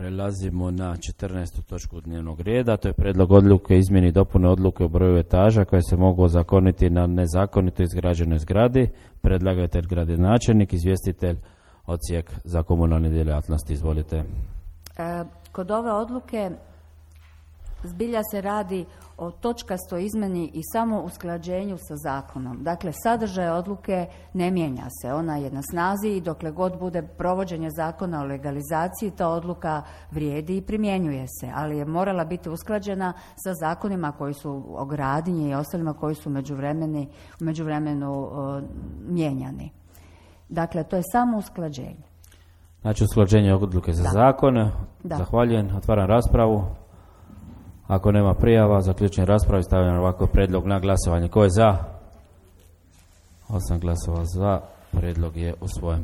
Prelazimo na 14. točku dnevnog reda, to je prijedlog odluke izmjeni i dopune odluke o broju etaža koje se mogu ozakoniti na nezakonito izgrađenoj zgradi. Predlagatelj gradonačelnik, izvjestitelj Odsjek za komunalne djelatnosti. Izvolite. Kod ove odluke zbilja se radi o točkastoj izmjeni i samo usklađenju sa zakonom. Dakle, sadržaj odluke ne mijenja se. Ona je na snazi i dokle god bude provođenje zakona o legalizaciji, ta odluka vrijedi i primjenjuje se, ali je morala biti usklađena sa zakonima koji su o gradnji i ostalima koji su u međuvremenu mijenjani. Dakle, to je samo usklađenje. Znači, usklađenje odluke za zakon. Zahvaljujem. Otvaram raspravu. Ako nema prijava, zaključujem raspravu i stavljam ovako prijedlog na glasovanje. Ko je za? 8 glasova za. Prijedlog je usvojen.